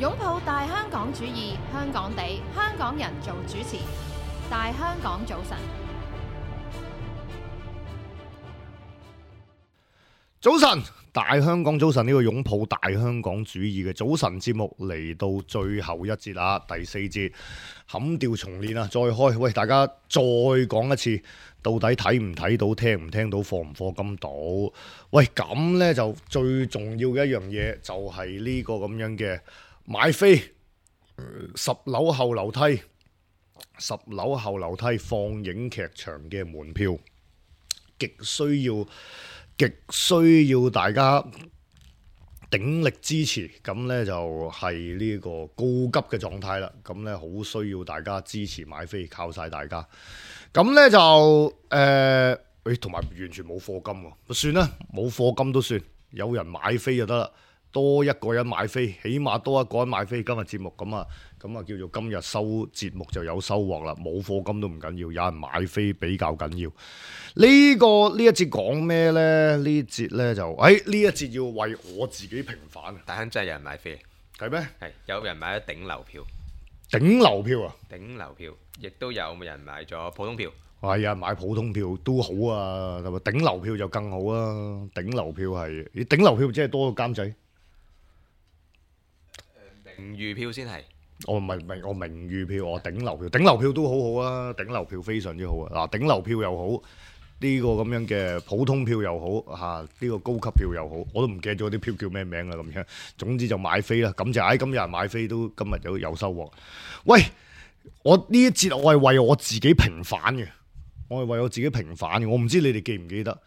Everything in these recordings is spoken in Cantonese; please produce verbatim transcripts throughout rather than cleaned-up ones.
擁抱大香港主義，香港地，香港人做主持。大香港早晨，早晨，大香港早晨，呢個擁抱大香港主義嘅早晨節目嚟到最後一節啦，第四節冚調重練啊，再開。喂，大家再講一次，到底睇唔睇到、聽唔聽到、課唔課金到？喂，咁呢就最重要嘅一樣嘢就係呢個咁樣嘅買飛、呃、十樓後樓梯、十樓後樓梯放映劇場嘅門票，極需要。極需要大家鼎力支持，咁呢就係呢個告急嘅狀態啦。咁呢好需要大家支持買飛，靠晒大家。咁呢就誒，誒同埋完全冇課金喎，算啦，冇課金都算，有人買飛就得啦。多一個人買飛，起碼多一個人買飛。今日節目咁啊，咁啊叫做今日收節目就有收穫啦。冇課金都唔緊要，有人買飛比較緊要。呢、這個呢一節講咩呢？呢節呢就，誒、哎、呢一節要為我自己平反。大亨真係有人買飛，係咩？係有人買咗頂流票，頂流票啊！頂流票，亦都有人買咗普通票。係啊，買普通票都好啊，係咪？頂流票就更好啊！頂流票係，咦？頂流票即係多個監仔。名譽票先係，我唔係明，我名譽票，我頂流票，頂流票都好好啊，頂流票非常之好啊！嗱，頂流票又好，呢個咁樣嘅普通票又好，嚇呢個高級票又好，我都唔記得咗啲票叫咩名啦咁樣。總之就買飛啦，咁就唉，今日買飛都今日有有收穫。喂，我呢一節我係為我自己平反嘅，我係為我自己平反嘅。我唔知你哋記唔記得，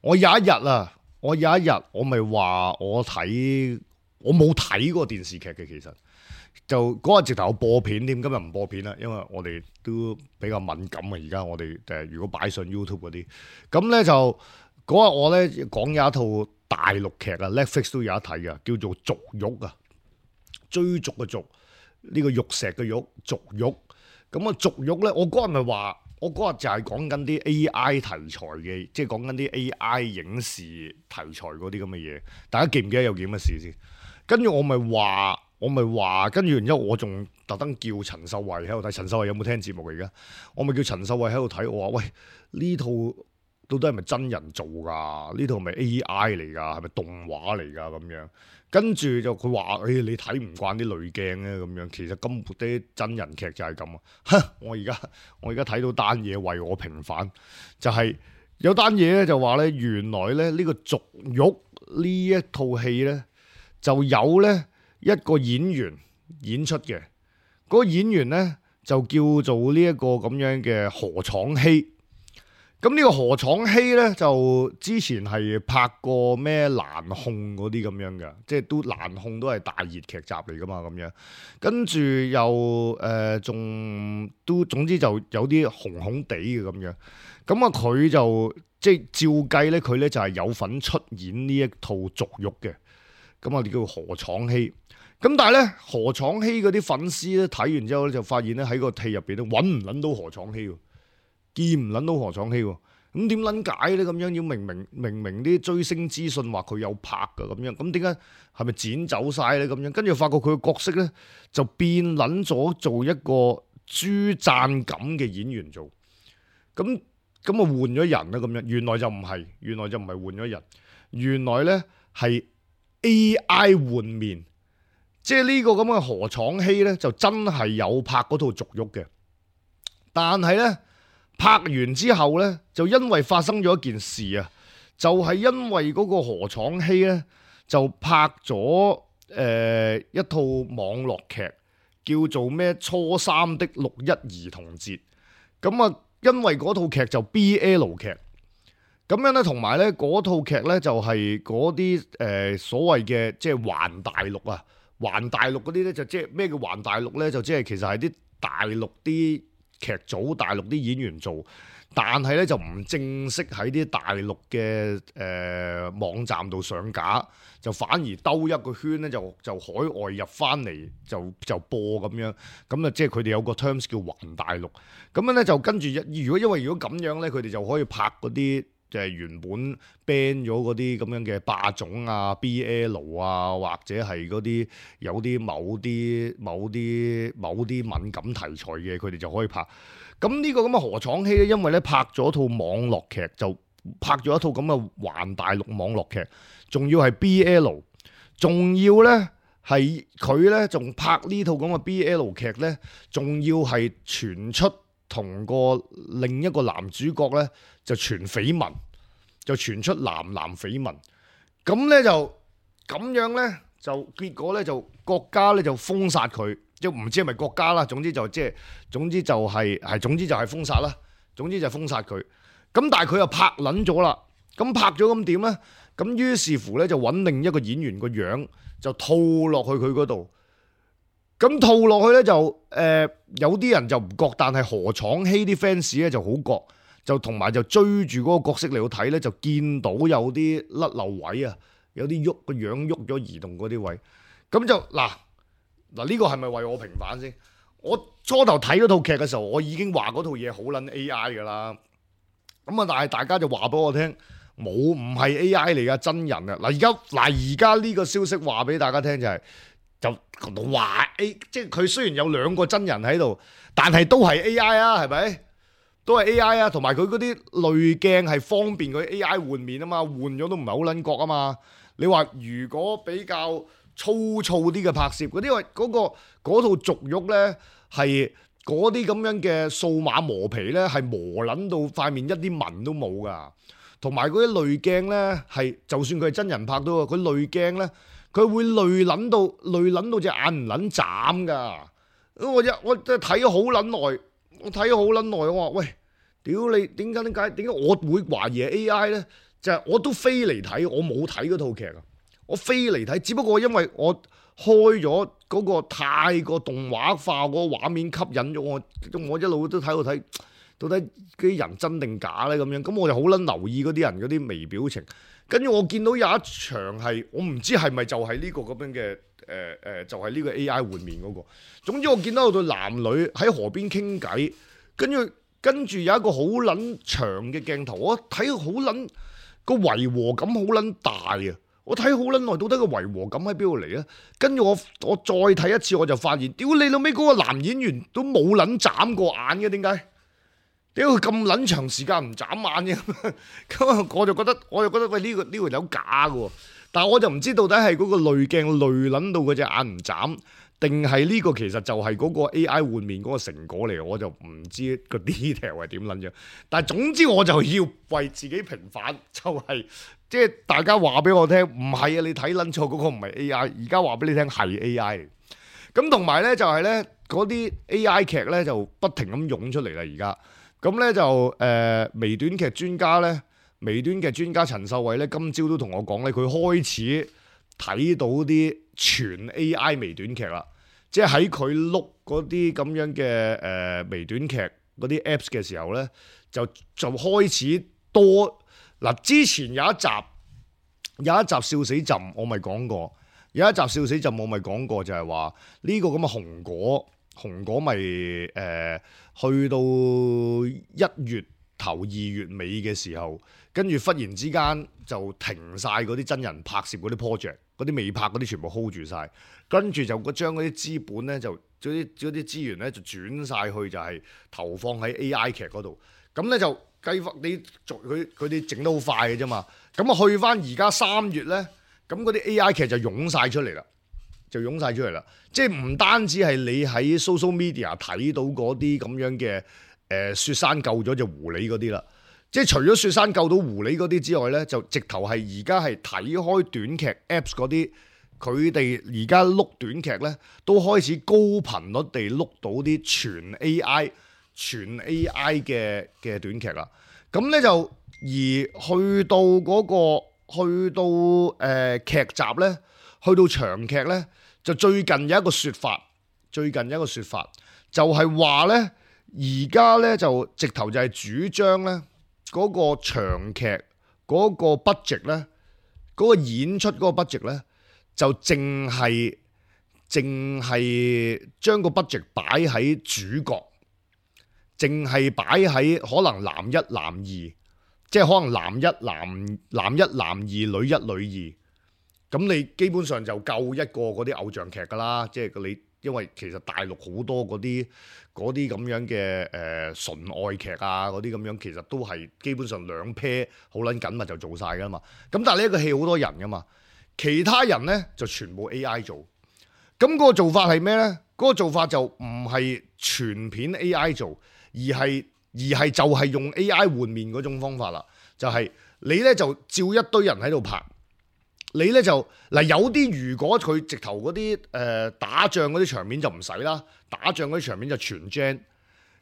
我有一日啊，我有一日我咪話我睇。我冇睇過電視劇嘅，其實就嗰日直頭有播片添，今日唔播片啦，因為我哋都比較敏感啊。而家我哋誒如果擺上 YouTube 嗰啲，咁咧就嗰日我咧講有一套大陸劇啊 ，Netflix 都有得睇嘅，叫做《逐玉》啊，追逐嘅逐，呢個玉石嘅玉，逐玉。咁啊，逐玉咧，我嗰日咪話，我嗰日就係講緊啲 A I 題材嘅，即係講緊啲 A I 影視題材嗰啲咁嘅嘢。大家記唔記得有件乜事先？跟住我咪話，我咪話，跟住然之後我仲特登叫陳秀慧喺度睇。陳秀慧有冇聽節目而家？我咪叫陳秀慧喺度睇。我話喂，呢套到底係咪真人做㗎？呢套係咪 A I 嚟㗎？係咪動畫嚟㗎？咁樣跟住就佢話：誒、哎，你睇唔慣啲濾鏡咧咁樣。其實根本啲真人劇就係咁啊！哼，我而家我而家睇到單嘢為我平反，就係、是、有單嘢咧就話咧，原來咧呢、這個《逐玉》呢一套戲咧。就有咧一個演員演出嘅，嗰、那個演員咧就叫做呢一個咁樣嘅何昶希。咁呢個何昶希咧就之前係拍過咩蘭控嗰啲咁樣嘅，即係都蘭控都係大熱劇集嚟噶嘛咁樣。跟住又誒仲、呃、都總之就有啲紅紅地嘅咁樣。咁啊佢就即係照計咧，佢咧就係有份出演呢一套逐玉嘅。咁啊，你叫何昶希。咁但係咧，何昶希嗰啲粉絲咧睇完之後咧，就發現咧喺個戲入邊咧揾唔撚到何昶希喎，見唔撚到何昶希喎。咁點撚解咧？咁樣要明明明明啲追星資訊話佢有拍噶咁樣，咁點解係咪剪走晒咧？咁樣跟住發覺佢嘅角色咧就變撚咗做一個朱贊錦嘅演員做。咁咁啊換咗人啦咁樣，原來就唔係，原來就唔係換咗人，原來咧係。A I 換面，即係呢個咁嘅何昶希咧，就真係有拍嗰套逐玉嘅，但係咧拍完之後咧，就因為發生咗一件事啊，就係、是、因為嗰個何昶希咧就拍咗誒、呃、一套網絡劇，叫做咩初三的六一兒童節，咁啊，因為嗰套劇就 B L 劇。咁樣咧，同埋咧嗰套劇咧就係嗰啲誒所謂嘅即係環大陸啊，環大陸嗰啲咧就即係咩叫環大陸咧？就即係其實係啲大陸啲劇組、大陸啲演員做，但係咧就唔正式喺啲大陸嘅誒、呃、網站度上架，就反而兜一個圈咧，就就海外入翻嚟就就播咁樣，咁啊即係佢哋有個 terms 叫環大陸，咁樣咧就跟住如果因為如果咁樣咧，佢哋就可以拍嗰啲。就係原本 ban 咗嗰啲咁樣嘅霸總啊、B L 啊，或者係嗰啲有啲某啲某啲某啲敏感題材嘅，佢哋就可以拍。咁呢個咁嘅何昶希咧，因為咧拍咗套網絡劇，就拍咗一套咁嘅環大陸網絡劇，仲要係 B L， 仲要咧係佢咧仲拍呢套咁嘅 B L 劇咧，仲要係傳出同個另一個男主角咧就傳緋聞，就傳出男男緋聞，咁咧就咁樣咧就結果咧就國家咧就封殺佢。即唔知係咪國家啦，總之就即係總之就係係總之就係封殺啦，總之就係封殺佢。咁但係佢又拍撚咗啦，咁拍咗咁點咧？咁於是乎咧就揾另一個演員個樣就套落去佢嗰度。咁套落去咧就誒、呃、有啲人就唔覺，但係何昶希啲 fans 咧就好覺，就同埋就追住嗰個角色嚟到睇咧，就見到有啲甩漏位啊，有啲喐個樣喐咗移動嗰啲位，咁就嗱。嗱，呢個係咪為我平反先？我初頭睇嗰套劇嘅時候，我已經話嗰套嘢好撚 A I 㗎啦。咁啊，但係大家就話俾我聽，冇唔係 A I 嚟㗎，真人啊！嗱，而家嗱而家呢個消息話俾大家聽就係、是，就話 A， 即係佢雖然有兩個真人喺度，但係都係 A I 啊，係咪？都係 A I 啊，同埋佢嗰啲濾鏡係方便佢 A I 換面啊嘛，換咗都唔係好撚覺啊嘛。你話如果比較粗糙啲嘅拍攝，嗰啲因為嗰個嗰套續喐咧係嗰啲咁樣嘅數碼磨皮咧係磨撚到塊面一啲紋都冇噶，同埋嗰啲濾鏡咧係就算佢係真人拍到，佢濾鏡咧佢會濾撚到濾撚到隻眼唔撚眨噶。我一我真係睇咗好撚耐，我睇咗好撚耐，我話喂，屌你點解點解點解我會懷疑係 A I 咧？就係、是、我都飛嚟睇，我冇睇嗰套劇啊。我飛嚟睇，只不過因為我開咗嗰個太過動畫化嗰個畫面吸引咗我，我一路都睇到睇，到底啲人真定假咧咁樣，咁我就好撚留意嗰啲人嗰啲微表情，跟住我見到有一場係我唔知係咪就係呢個咁樣嘅誒誒，就係、是、呢個 A I 換面嗰、那個。總之我見到有對男女喺河邊傾偈，跟住跟住有一個好撚長嘅鏡頭，我睇好撚個違和感好撚大啊！我睇好撚耐，到底個違和感喺邊度嚟啊？跟住我我再睇一次，我就發現，屌你老尾嗰個男演員都冇撚眨過眼嘅，點解？屌佢咁撚長時間唔眨眼嘅，咁我就覺得，我就覺得喂呢個呢個有假嘅，但係我就唔知到底係嗰個濾鏡濾撚到嗰隻眼唔眨，定係呢個其實就係嗰個 A I 換面嗰個成果嚟，我就唔知個 detail 係點撚樣。但係總之我就要為自己平反，就係、是。即係大家話俾我聽，唔係啊！你睇撚錯嗰個唔係 A I，而家話俾你聽係 A I 嚟。咁同埋咧就係咧嗰啲 A I 劇咧就不停咁湧出嚟啦。而家咁咧就誒、呃、微短劇專家咧，微短劇專家陳秀慧咧今朝都同我講咧，佢開始睇到啲全 A I 微短劇啦。即係喺佢碌嗰啲咁樣嘅誒、呃、微短劇嗰啲 Apps 嘅時候咧，就就開始多。嗱，之前有一集有一集笑死朕，我咪講過，有一集笑死朕，我咪講過就係話呢個咁嘅紅果，紅果咪誒、呃、去到一月頭二月尾嘅時候，跟住忽然之間就停晒嗰啲真人拍攝嗰啲 project，嗰啲未拍嗰啲全部 hold 住晒，跟住就將嗰啲資本咧就嗰啲嗰啲資源咧就轉晒去就係投放喺 A I 劇嗰度，咁咧就。計劃你做佢佢哋整得好快嘅啫嘛，咁啊去翻而家三月咧，咁嗰啲 A I 劇就湧晒出嚟啦，就湧晒出嚟啦。即係唔單止係你喺 social media 睇到嗰啲咁樣嘅誒、呃、雪山救咗隻狐狸嗰啲啦，即係除咗雪山救到狐狸嗰啲之外咧，就直頭係而家係睇開短劇 apps 嗰啲，佢哋而家碌短劇咧都開始高頻率地碌到啲全 A I。全 A I 嘅嘅短劇啦，咁咧就而去到嗰、那個去到誒、呃、劇集咧，去到長劇咧，就最近有一個説法，最近有一個説法就係話咧，而家咧就直頭就係主張咧嗰、那個長劇嗰個 budget 咧，嗰、那個演出嗰個 budget 咧，就淨係淨係將個 budget 擺喺主角。淨係擺喺可能男一男二，即係可能男一男男一男二女一女二，咁你基本上就夠一個嗰啲偶像劇㗎啦。即係你因為其實大陸好多嗰啲嗰啲咁樣嘅誒、呃、純愛劇啊，嗰啲咁樣其實都係基本上兩 pair 好撚緊密就做晒㗎嘛。咁但係呢一個戲好多人㗎嘛，其他人咧就全部 A I 做。咁嗰個做法係咩咧？嗰、嗰個做法就唔係全片 A I 做，而係而係就係用 A I 換面嗰種方法啦。就係、係、你咧就照一堆人喺度拍。你咧就嗱有啲如果佢直頭嗰啲誒打仗嗰啲場面就唔使啦，打仗嗰啲場面就全 gen。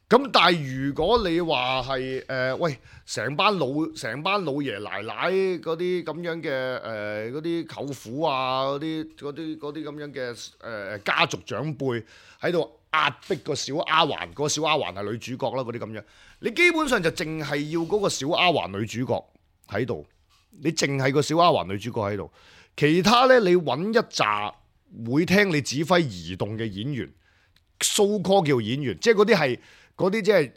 咁但係如果你話係誒喂成班老成班老爺奶奶嗰啲咁樣嘅誒嗰啲舅父啊嗰啲嗰啲嗰啲咁樣嘅誒、呃、家族長輩喺度壓迫個小丫鬟，個小丫鬟係女主角啦嗰啲咁樣，你基本上就淨係要嗰個小丫鬟女主角喺度。你淨係個小丫鬟女主角喺度，其他咧你揾一紮會聽你指揮移動嘅演員 ，so call 叫演員，即係嗰啲係嗰啲即係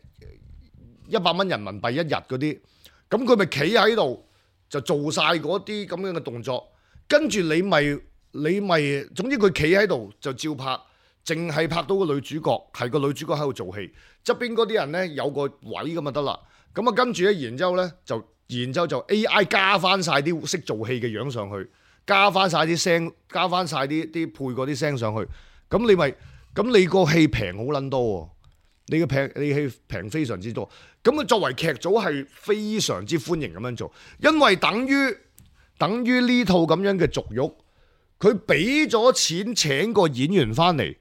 一百蚊人民幣一日嗰啲，咁佢咪企喺度就做晒嗰啲咁樣嘅動作，跟住你咪你咪，總之佢企喺度就照拍，淨係拍到個女主角，係個女主角喺度做戲，側邊嗰啲人咧有個位咁就得啦，咁啊跟住咧，然之後咧就。然之後就 A I 加翻晒啲識做戲嘅樣上去，加翻晒啲聲，加翻晒啲啲配嗰啲聲上去，咁你咪咁你個戲平好撚多喎，你個平你戲平非常之多，咁啊作為劇組係非常之歡迎咁樣做，因為等於等於呢套咁樣嘅俗肉，佢俾咗錢請個演員翻嚟，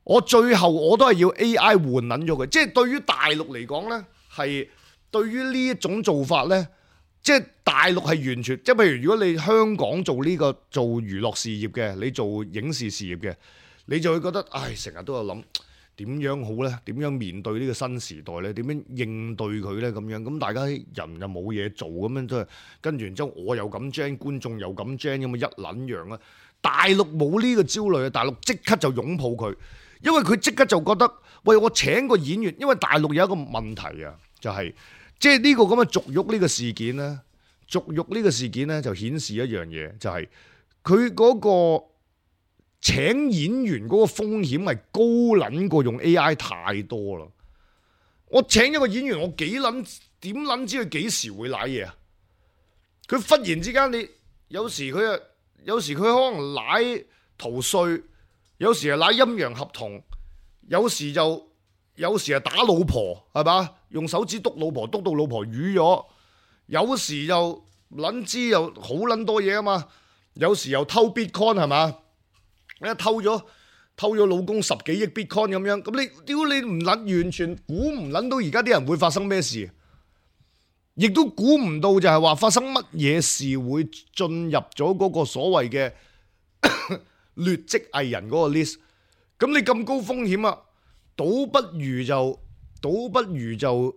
我最後我都係要 A I 換撚咗佢，即係對於大陸嚟講呢係。對於呢一種做法呢，即係大陸係完全，即係譬如如果你香港做呢個做娛樂事業嘅，你做影視事業嘅，你就會覺得，唉，成日都有諗點樣好呢？點樣面對呢個新時代呢？點樣應對佢呢？咁樣咁大家人又冇嘢做咁樣，都係跟住然之後我又咁 gen，觀眾又咁 gen，咁啊一撚樣啊！大陸冇呢個焦慮啊，大陸即刻就擁抱佢，因為佢即刻就覺得，喂，我請個演員，因為大陸有一個問題啊，就係、是。即係呢個咁嘅俗肉呢個事件咧，俗肉呢個事件咧就顯示一樣嘢，就係佢嗰個請演員嗰個風險係高撚過用 A I 太多啦。我請一個演員，我幾撚點撚知佢幾時會瀨嘢啊？佢忽然之間，你有時佢啊，有時佢可能瀨逃稅，有時係瀨陰陽合同，有時就。有時係打老婆係嘛，用手指篤老婆篤到老婆瘀咗，有時就撚知又好撚多嘢啊嘛，有時又偷 Bitcoin 係嘛，一偷咗偷咗老公十幾億 Bitcoin 咁樣，咁你屌你唔撚完全估唔撚到而家啲人會發生咩事，亦都估唔到就係話發生乜嘢事會進入咗嗰個所謂嘅劣跡藝人嗰個 list， 咁你咁高風險啊！倒不如就倒不如就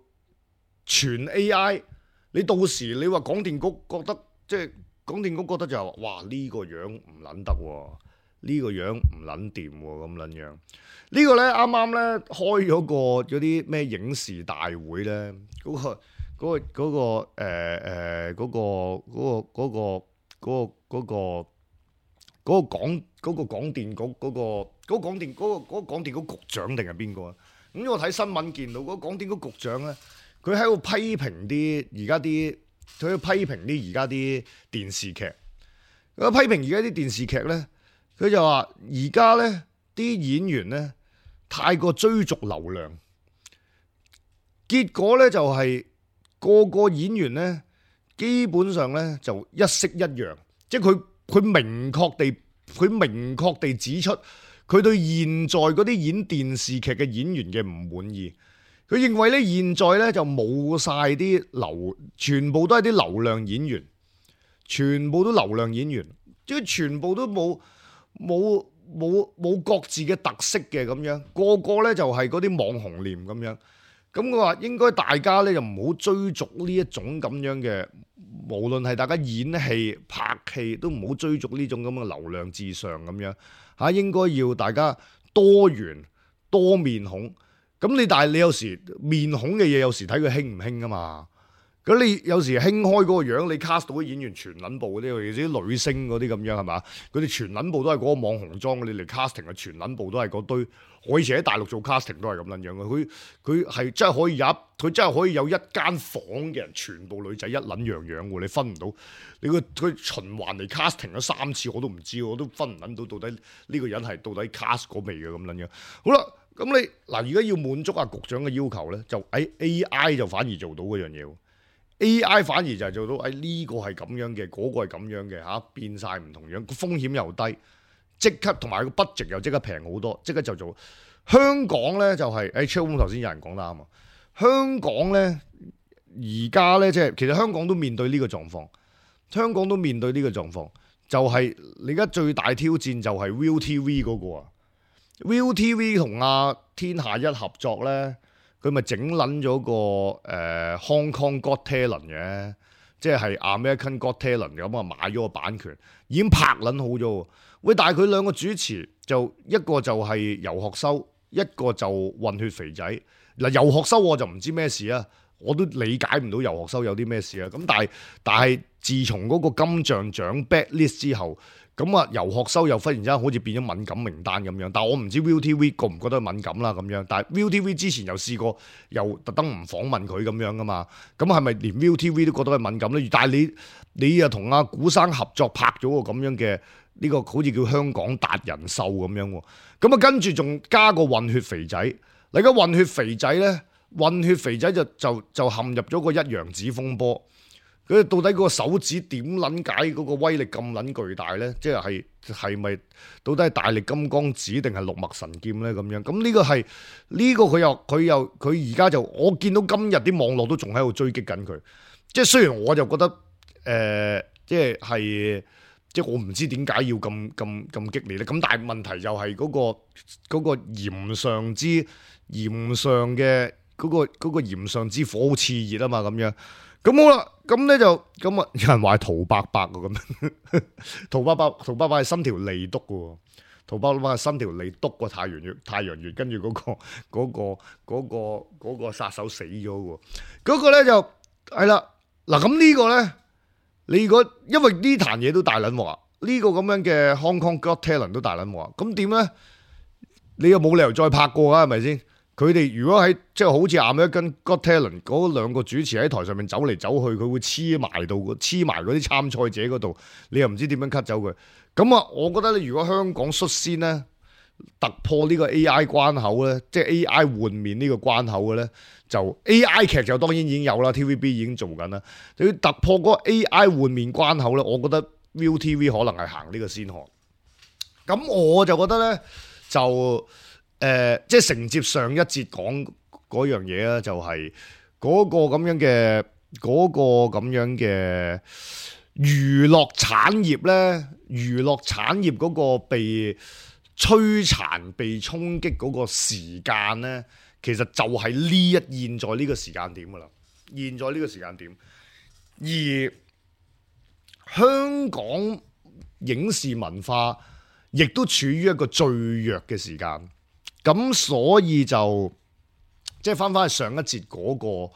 全 A I， 你到時你話廣電局覺得即係廣電局覺得就係話，哇呢個樣唔撚得喎，呢個樣唔撚掂喎咁撚樣。呢個咧啱啱咧開咗個嗰啲咩影視大會咧，嗰個嗰個嗰個誒誒嗰個嗰個嗰個嗰個嗰個嗰個廣嗰個廣電局嗰個嗰個廣電嗰個嗰個廣電局局長定係邊個啊？咁我睇新聞見到嗰個廣電局局長咧，佢喺度批評啲而家啲，佢喺度批評啲而家啲電視劇。佢批評而家啲電視劇咧，佢就話而家咧啲演員咧太過追逐流量，結果咧就係個個演員咧基本上咧就一式一樣，即係佢。佢明確地，佢明確地指出，佢對現在嗰啲演電視劇嘅演員嘅唔滿意。佢認為咧，現在咧就冇晒啲流，全部都係啲流量演員，全部都流量演員，即係全部都冇冇冇冇各自嘅特色嘅咁樣，個個咧就係嗰啲網紅臉咁樣。咁我話應該大家咧就唔好追逐呢一種咁樣嘅。無論係大家演戲拍戲都唔好追逐呢種咁嘅流量至上咁樣嚇，應該要大家多元多面孔。咁你但係你有時面孔嘅嘢有時睇佢興唔興啊嘛。咁你有時興開嗰個樣，你 cast 到啲演員全撚部嗰啲，尤其是啲女星嗰啲咁樣係嘛？佢哋全撚部都係嗰個網紅裝，你嚟 casting 嘅全撚部都係嗰堆。我以前喺大陸做 casting 都係咁撚樣嘅，佢佢係真係可以有，佢真係可以有一間房嘅人全部女仔一撚樣樣喎，你分唔到。你個佢循環嚟 casting 咗三次我都唔知，我都分唔撚到到底呢個人係到底 cast 嗰味嘅咁撚樣。好啦，咁你嗱而家要滿足阿局長嘅要求咧，就喺 A I 就反而做到嗰樣嘢。A I 反而就係做到，誒呢個係咁樣嘅，嗰個係咁樣嘅嚇，變晒唔同樣，個風險又低，即刻同埋個 budget 又即刻平好多，即刻就做。香港咧就係誒 Chill 頭先有人講得啱啊，香港咧而家咧即係其實香港都面對呢個狀況，香港都面對呢個狀況，就係你而家最大挑戰就係 ViuTV 嗰個啊 ，ViuTV 同阿天下一合作咧。佢咪整撚咗個誒、呃、Hong Kong Got Talent 嘅，即係 American Got Talent 咁啊，買咗個版權，已經拍撚好咗。喂，但係佢兩個主持就一個就係游學修，一個就混血肥仔。嗱，游學修我就唔知咩事啊，我都理解唔到游學修有啲咩事啊。咁但係但係自從嗰個金像獎 backlist 之後。咁啊，游學修又忽然之間好似變咗敏感名單咁樣，但係我唔知 ViuTV 覺唔覺得敏感啦咁樣。但係 ViuTV 之前又試過又特登唔訪問佢咁樣噶嘛，咁係咪連 ViuTV 都覺得係敏感咧？但係你你又同阿古生合作拍咗個咁樣嘅呢個好似叫香港達人秀咁樣喎，咁啊跟住仲加個混血肥仔，你而家混血肥仔咧，混血肥仔就就就陷入咗個一陽指風波。佢到底嗰個手指點撚解嗰個威力咁撚巨大咧？即係係咪到底係大力金剛指定係六脈神劍咧？咁樣咁呢個係呢個佢又佢又佢而家就我見到今日啲網絡都仲喺度追擊緊佢。即係雖然我就覺得誒、呃，即係係即係我唔知點解要咁咁咁激烈咧。咁但係問題就係嗰個嗰個炎上之炎上嘅嗰個嗰個炎上之火好熾熱啊嘛咁樣。咁好啦，咁咧就咁啊！有人話係陶伯伯喎，咁陶伯伯陶伯伯係伸條脷篤嘅喎，陶伯伯係伸條脷篤個太陽穴，太陽穴跟住嗰個嗰個嗰個嗰個殺手死咗喎，嗰個咧就係啦。嗱咁呢個咧，你如果因為呢壇嘢都大撚鑊，呢個咁樣嘅 Hong Kong Got Talent 都大撚鑊，咁點咧？你又冇理由再拍過啊？係咪先？佢哋如果喺即係好似 American Got Talent 嗰兩個主持喺台上面走嚟走去，佢會黐埋到黐埋嗰啲參賽者嗰度，你又唔知點樣 cut 走佢。咁啊，我覺得你如果香港率先咧突破呢個 A I 關口咧，即係 A I 換面呢個關口嘅咧，就 A I 劇就當然已經有啦 ，T V B 已經做緊啦。你要突破嗰個 A I 換面關口咧，我覺得 ViuTV 可能係行呢個先河。咁我就覺得咧就。誒、呃，即係承接上一節講嗰樣嘢啦，就係嗰個咁樣嘅嗰、嗰個咁樣嘅娛樂產業咧，娛樂產業嗰個被摧殘、被衝擊嗰個時間咧，其實就係呢一現在呢個時間點噶啦，現在呢個時間點，而香港影視文化亦都處於一個最弱嘅時間。咁所以就即係翻翻去上一節嗰個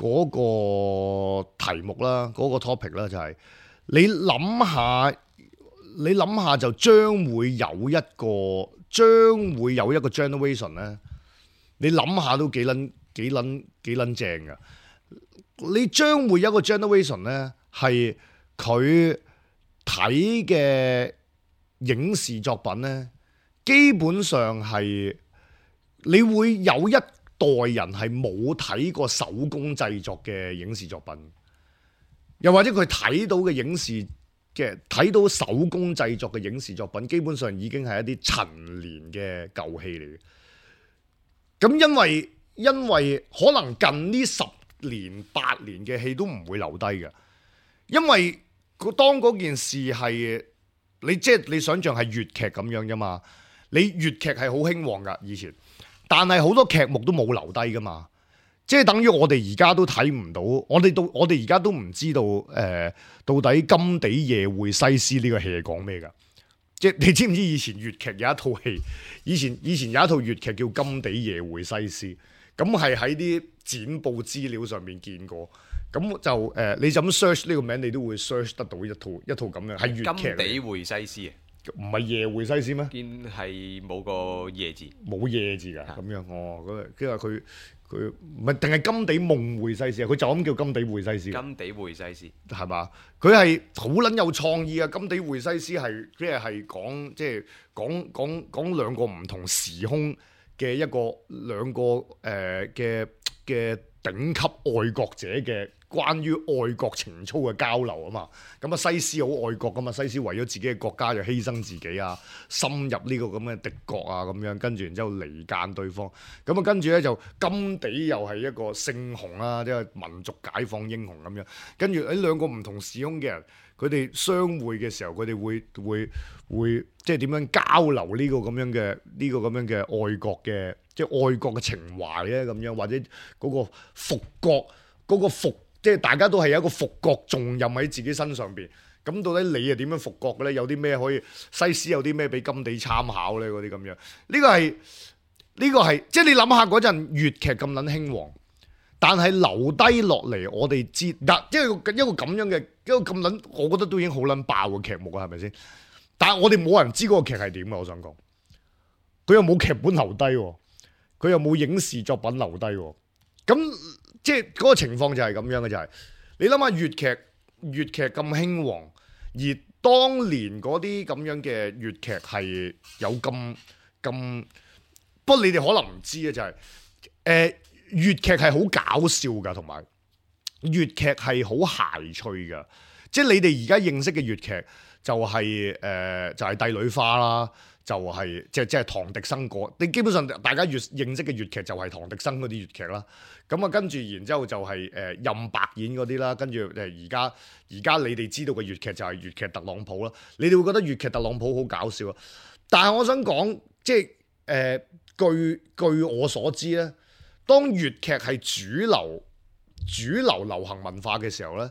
嗰個題目啦，嗰個 topic 啦，就係你諗下，你諗下就將會有一個將會有一個 generation 咧，你諗下都幾撚幾撚幾撚正㗎。你將會有一個 generation 咧，係佢睇嘅影視作品咧。基本上係你會有一代人係冇睇過手工製作嘅影視作品，又或者佢睇到嘅影視嘅睇到手工製作嘅影視作品，基本上已經係一啲陳年嘅舊戲嚟嘅。咁因為因為可能近呢十年八年嘅戲都唔會留低嘅，因為當嗰件事係你即係你想象係粵劇咁樣啫嘛。你粵劇係好興旺噶以前，但係好多劇目都冇留低噶嘛，即係等於我哋而家都睇唔到，我哋到我哋而家都唔知道誒、呃，到底金地夜會西施呢個戲係講咩噶？即係你知唔知以前粵劇有一套戲，以前以前有一套粵劇叫金地夜會西施，咁係喺啲剪報資料上面見過。咁就誒、呃，你就咁 search 呢個名，你都會 search 得到一套一套咁樣係粵劇嚟。金地會西施啊，唔係夜會西施咩？見係冇個夜字，冇夜字㗎，咁樣哦。咁跟住佢佢唔係定係金地夢會西施啊？佢就咁叫金地會西施。金地會西施係嘛？佢係好撚有創意啊！金地會西施係即係係講即係講講講兩個唔同時空嘅一個兩個誒嘅嘅頂級愛國者嘅關於愛國情操嘅交流啊嘛。咁啊西施好愛國噶嘛，西施為咗自己嘅國家就犧牲自己啊，深入呢個咁嘅敵國啊咁樣，跟住然之後離間對方。咁啊跟住咧就金地又係一個聖雄啦，即係民族解放英雄咁樣。跟住喺兩個唔同時空嘅人，佢哋相會嘅時候，佢哋會會會即係點樣交流呢個咁樣嘅呢個咁樣嘅愛國嘅即係愛國嘅情懷咧咁樣，或者嗰個復國嗰個復。即係大家都係有一個復國重任喺自己身上邊，咁到底你係點樣復國嘅咧？有啲咩可以西施有啲咩俾金地參考咧？嗰啲咁樣，呢、這個係呢、這個係即係你諗下嗰陣粵劇咁撚興旺，但係留低落嚟我哋知嗱，即係一個咁樣嘅一個咁撚，我覺得都已經好撚爆嘅劇目啊，係咪先？但係我哋冇人知嗰個劇係點啊！我想講，佢又冇劇本留低，佢又冇影視作品留低，咁。即係嗰個情況就係咁樣嘅，就係、是、你諗下粵劇粵劇咁興旺，而當年嗰啲咁樣嘅粵劇係有咁咁，不過你哋可能唔知啊，就係、是、誒、呃、粵劇係好搞笑㗎，同埋粵劇係好諧趣㗎。即係你哋而家認識嘅粵劇就係、是、誒、呃、就係、是、帝女花啦。就係、是、即係即係唐滌生嗰，你基本上大家越認識嘅粵劇就係唐滌生嗰啲粵劇啦。咁啊跟住然之後就係、是、誒、呃、任白演嗰啲啦，跟住誒而家而家你哋知道嘅粵劇就係粵劇特朗普啦。你哋會覺得粵劇特朗普好搞笑啊？但係我想講，即係誒、呃、據據我所知咧，當粵劇係主流主流流行文化嘅時候咧，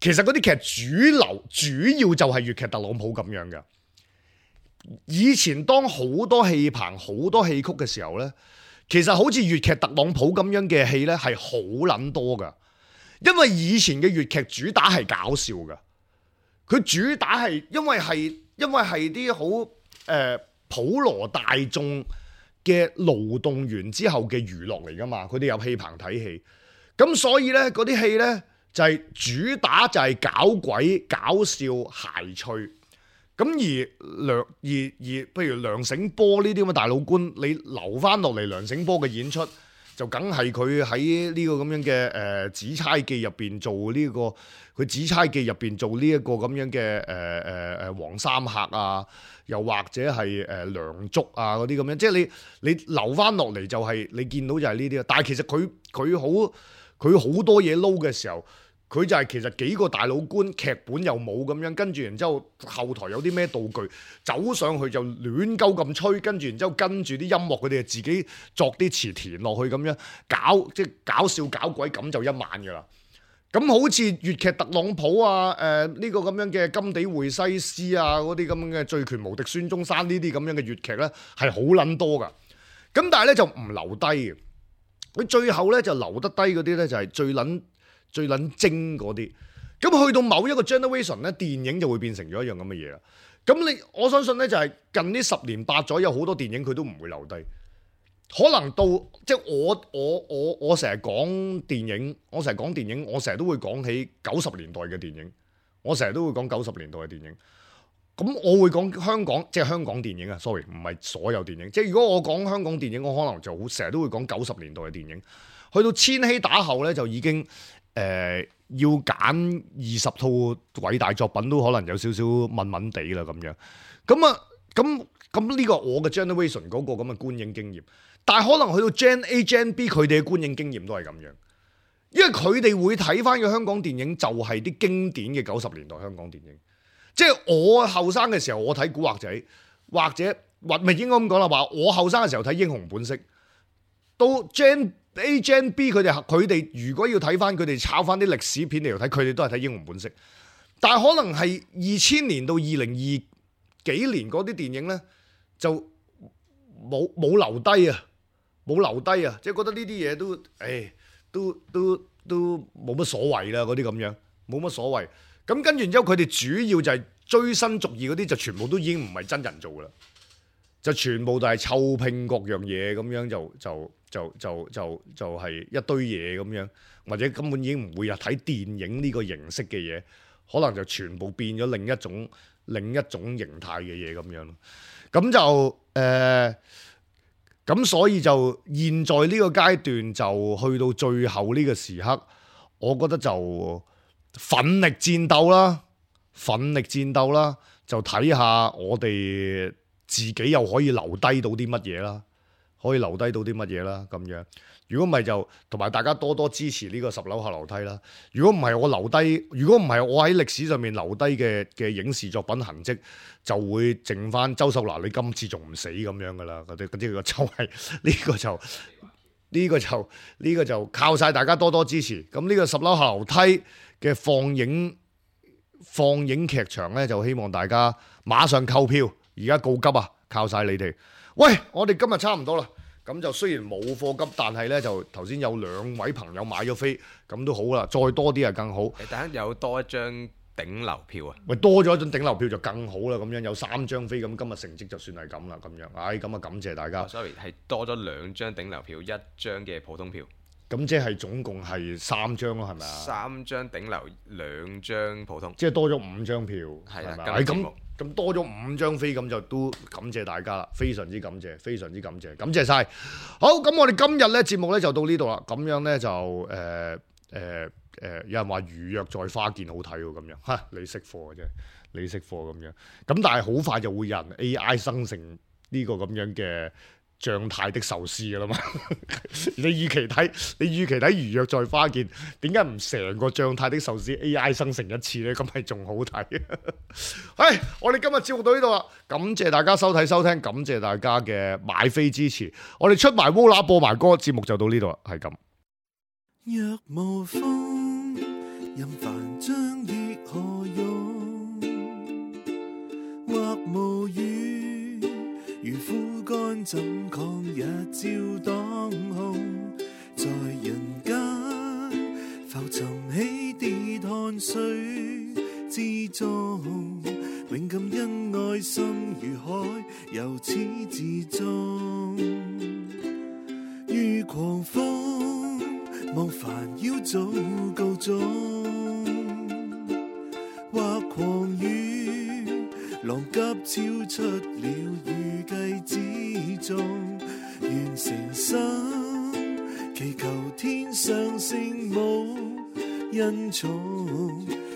其實嗰啲劇主流主要就係粵劇特朗普咁樣嘅。以前當好多戲棚好多戲曲嘅時候呢，其實好似粵劇特朗普咁樣嘅戲呢係好撚多噶，因為以前嘅粵劇主打係搞笑噶，佢主打係因為係因為係啲好誒普羅大眾嘅勞動完之後嘅娛樂嚟噶嘛，佢哋入戲棚睇戲，咁所以呢，嗰啲戲呢就係、是、主打就係搞鬼搞笑諧趣。咁而梁而而譬如梁醒波呢啲咁嘅大老倌，你留翻落嚟梁醒波嘅演出，就梗係佢喺呢個咁樣嘅誒《紫釵記》入邊做呢、這個，佢《紫釵記》入邊做呢一個咁樣嘅誒誒誒黃三客啊，又或者係誒梁祝啊嗰啲咁樣，即係你你留翻落嚟就係、是、你見到就係呢啲啊。但係其實佢佢好佢好多嘢撈嘅時候。佢就係其實幾個大老倌，劇本又冇咁樣，跟住然之後後台有啲咩道具，走上去就亂鳩咁吹，跟住然之後跟住啲音樂，佢哋就自己作啲詞填落去咁樣搞，即係搞笑搞鬼咁就一晚㗎啦。咁好似粵劇特朗普啊，誒、呃、呢、呢個咁樣嘅金地會西施啊，嗰啲咁樣嘅醉拳無敵孫中山呢啲咁樣嘅粵劇咧，係好撚多㗎。咁但係咧就唔留低嘅，佢最後咧就留得低嗰啲咧就係最撚。最撚精嗰啲，咁去到某一個 generation 咧，電影就會變成咗一樣咁嘅嘢啦。咁你我相信咧，就係近呢十年八載有好多電影佢都唔會留低，可能到即係我我我我成日講電影，我成日講電影，我成日都會講起九十年代嘅電影，我成日都會講九十年代嘅電影。咁我會講香港，即係香港電影啊 ，sorry， 唔係所有電影。即係如果我講香港電影，我可能就好成日都會講九十年代嘅電影。去到千禧打後咧，就已經。誒、呃、要揀二十套偉大作品都可能有少少悶悶地啦咁樣，咁啊咁咁呢個我嘅 generation 嗰個咁嘅觀影經驗，但係可能去到 Gen A、Gen B 佢哋嘅觀影經驗都係咁樣，因為佢哋會睇翻嘅香港電影就係啲經典嘅九十年代香港電影，即係我後生嘅時候我睇古惑仔，或者或咪應該咁講啦，話我後生嘅時候睇英雄本色，到 Gen A、Gen B 佢哋佢哋如果要睇翻佢哋抄翻啲歷史片嚟睇，佢哋都係睇英雄本色。但係可能係二千年到二零二幾年嗰啲電影咧，就冇冇留低啊，冇留低啊，即係覺得呢啲嘢都誒都都都冇乜所謂啦，嗰啲咁樣冇乜所謂。咁跟住之後，佢哋主要就係追新逐異嗰啲，就全部都已經唔係真人做噶啦，就全部都係湊拼各樣嘢咁樣就就就就就就係一堆嘢咁樣，或者根本已經唔會有睇電影呢個形式嘅嘢，可能就全部變咗另一種另一種形態嘅嘢咁樣咯。咁就誒，咁、呃、所以就現在呢個階段就去到最後呢個時刻，我覺得就奮力戰鬥啦，奮力戰鬥啦，就睇下我哋自己又可以留低到啲乜嘢啦，可以留低到啲乜嘢啦咁樣。如果唔係就同埋大家多多支持呢個十樓下樓梯啦。如果唔係我留低，如果唔係我喺歷史上面留低嘅嘅影視作品痕跡，就會剩翻周秀娜你今次仲唔死咁樣噶啦。嗰啲嗰啲個就係呢個就呢個就呢個就靠晒大家多多支持。咁呢個十樓下樓梯嘅放映放映劇場咧，就希望大家馬上購票，而家告急啊！靠晒你哋。喂，我哋今日差唔多啦。咁就雖然冇貨急，但係咧就頭先有兩位朋友買咗飛，咁都好啦。再多啲係更好。誒，等下有多一張頂流票啊！喂，多咗一張頂流票就更好啦。咁樣有三張飛，咁今日成績就算係咁啦。咁樣，唉，咁啊感謝大家。哦，sorry，係多咗兩張頂流票，一張嘅普通票。咁即係總共係三張咯，係咪啊？三張頂流，兩張普通。即係多咗五張票，係啦，係咁咁多咗五張飛，咁就都感謝大家啦，非常之感謝，非常之感謝，感謝晒。好，咁我哋今日咧節目咧就到呢度啦。咁樣咧就誒誒誒，有人話如約在花見好睇喎，咁樣嚇你識貨嘅啫，你識貨咁樣。咁但係好快就會有人 A I 生成呢個咁樣嘅狀態的壽司噶啦嘛，你與其睇，你與其睇如約在花見，點解唔成個狀態的壽司 A I 生成一次呢？咁係仲好睇。唉，我哋今日節目到呢度啦，感謝大家收睇收聽，感謝大家嘅買飛支持，我哋出埋烏乸播埋歌，節目就到呢度啦，係咁。若無風，任凡章亦何用？或無雨，如枯乾怎抗日照當空？在人間浮沉起跌汗水之中，永感恩愛心如海，由始至終。如狂風，望煩擾早告終，或狂雨，浪急超出了預計之中。願誠心祈求天上聖母恩寵，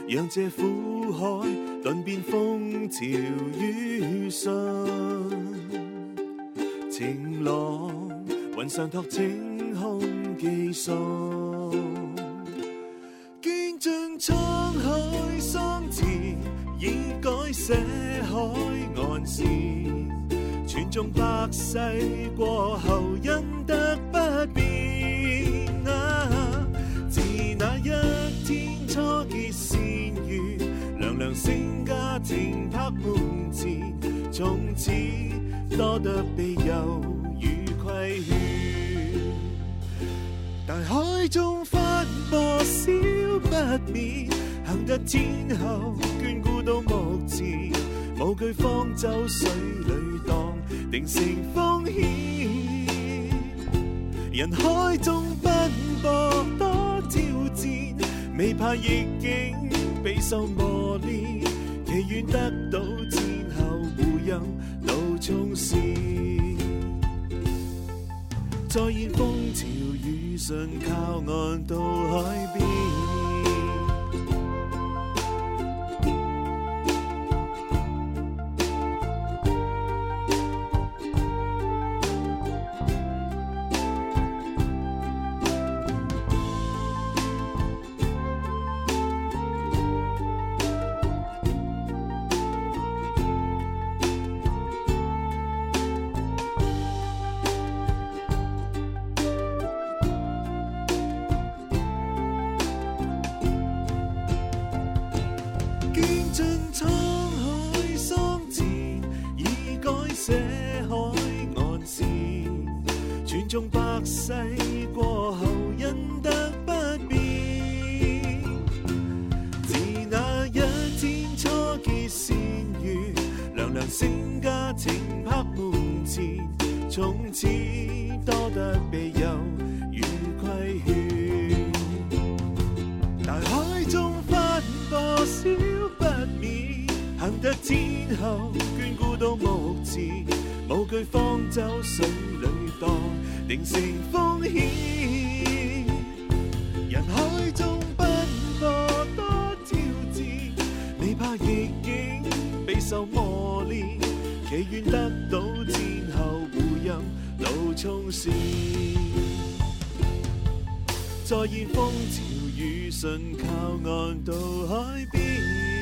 讓這苦海頓變風潮雨順，晴朗雲上托晴空寄送，見盡滄海桑田，已改寫海岸線，傳頌百世過後因得不變啊！自那一天初結善緣，娘娘星家庭拍門前，從此多得庇佑與規勸。大海中翻波小不免，行得天后眷顧到目前，無懼方舟水裏蕩，定成風險。人海中奔波多挑戰，未怕逆境備受磨練，祈願得到天后護佑路衝線，再現風潮雨順靠岸到海邊。千種百世過後，忍得不變。自那一天初結善緣，娘娘成家情拍門前，從此多得庇佑與規勸。大海中翻波少不免，行得天后眷顧到目前，無懼方舟水裏蕩，定成風險。人海中奔波多挑戰，未怕逆境備受磨練，祈願得到天后護蔭路衝線。再現風潮雨順靠岸到海邊。